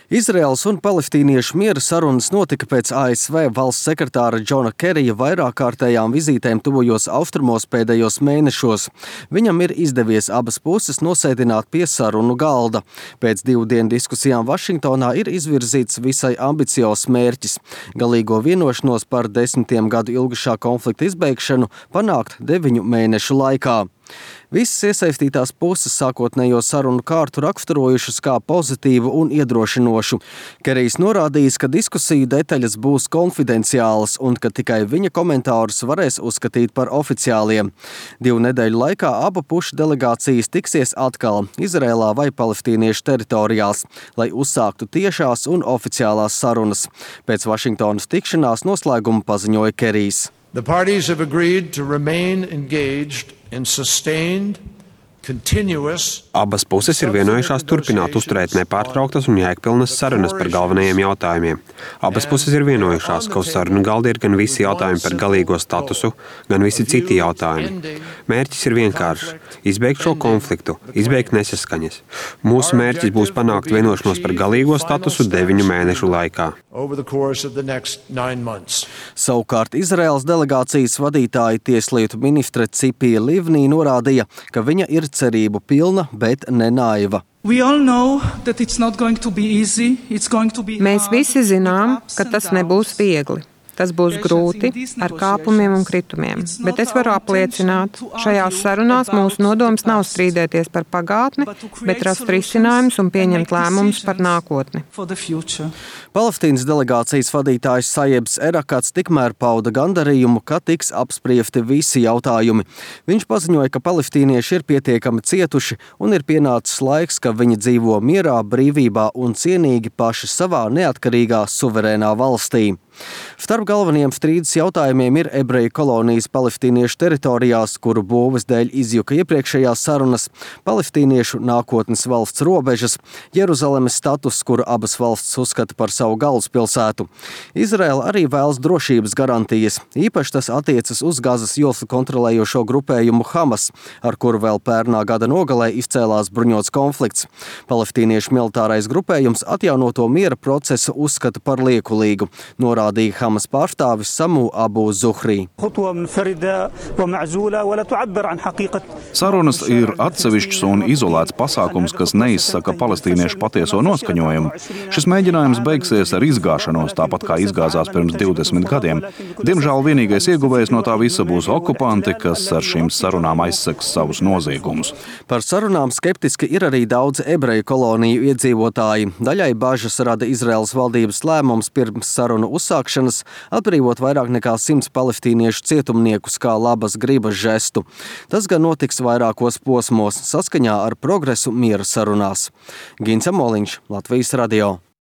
Izraels un palestīniešu miera sarunas notika pēc ASV valsts sekretāra Džona Kerija vairākkārtējām vizītēm tuvojos austrumos pēdējos mēnešos. Viņam ir izdevies abas puses nosēdināt pie sarunu galda. Pēc 2 dienu diskusijām Vašingtonā ir izvirzīts visai ambiciozs mērķis – galīgo vienošanos par 10 gadu ilgušā konflikta izbeigšanu panākt 9 mēnešu laikā. Visas iesaistītās puses sākotnējo sarunu kārtu raksturojušas kā pozitīvu un iedrošinošu. Kerijs norādījis, ka diskusiju detaļas būs konfidenciālas un ka tikai viņa komentārus varēs uzskatīt par oficiāliem. 2 nedēļu laikā abu pušu delegācijas tiksies atkal Izrēlā vai palestīniešu teritorijās, lai uzsāktu tiešās un oficiālās sarunas. Pēc Vašingtonas tikšanās noslēgumu paziņoja Kerijs. The parties have agreed to remain engaged in sustained, continuous. Abas puses ir vienojušās turpināt uzturēt nepārtrauktas un jēgpilnas sarunas par galvenajiem jautājumiem. Abas puses ir vienojušās, ka uz sarunu galda ir gan visi jautājumi par galīgo statusu, gan visi citi jautājumi. Mērķis ir vienkāršs – izbeigt šo konfliktu, izbeigt nesaskaņas. Mūsu mērķis būs panākt vienošanos par galīgo statusu 9 mēnešu laikā. Savukārt Izraēlas delegācijas vadītāja tieslietu ministre Cipija Livnī norādīja, ka viņa ir cerību pilna, bet ne naiva. Mēs visi zinām, ka tas nebūs viegli. Tas būs grūti, ar kāpumiem un kritumiem, bet es varu apliecināt, šajās sarunās mūsu nodoms nav strīdēties par pagātni, bet rast risinājumus un pieņemt lēmumus par nākotni. Palestīnas delegācijas vadītājs Sajebs Erakats tikmēr pauda gandarījumu, ka tiks apspriesti visi jautājumi. Viņš paziņoja, ka palestīnieši ir pietiekami cietuši un ir pienācis laiks, ka viņi dzīvo mierā, brīvībā un cienīgi paši savā neatkarīgā suverēnā valstī. Starp galvenajiem strīdus jautājumiem ir ebreju kolonijas palestīniešu teritorijās, kuru būves dēļ izjuka iepriekšējās sarunas, palestīniešu nākotnes valsts robežas, Jeruzalemes status, kuru abas valsts uzskata par savu galvaspilsētu. Izraela arī vēlas drošības garantijas, īpaši tas attiecas uz Gazas joslu kontrolējošo grupējumu Hamas, ar kuru vēl pērnā gada nogalē izcēlās bruņots konflikts. Palestīniešu militārais grupējums atjaunoto miera procesu uzskata par liekulīgu, norādīja Hamas pārstāvis Samu Abu Zuhri. Sarunas ir atsevišķs un izolēts pasākums, kas neizsaka palestīniešu patieso noskaņojumu. Šis mēģinājums beigsies ar izgāšanos, tāpat kā izgāzās pirms 20 gadiem. Diemžēl vienīgais ieguvējs no tā visa būs okupanti, kas ar šīm sarunām aizseks savus noziegumus. Par sarunām skeptiski ir arī daudz ebreju koloniju iedzīvotāji. Daļai bažas rada Izraēlas valdības lēmums pirms sarunu uzsākšanas atbrīvot vairāk nekā 100 palestīniešu cietumniekus kā labas gribas žestu. Tas gan notiks vairākos posmos saskaņā ar progresu miera sarunās. Gins Amoliņš, Latvijas radio.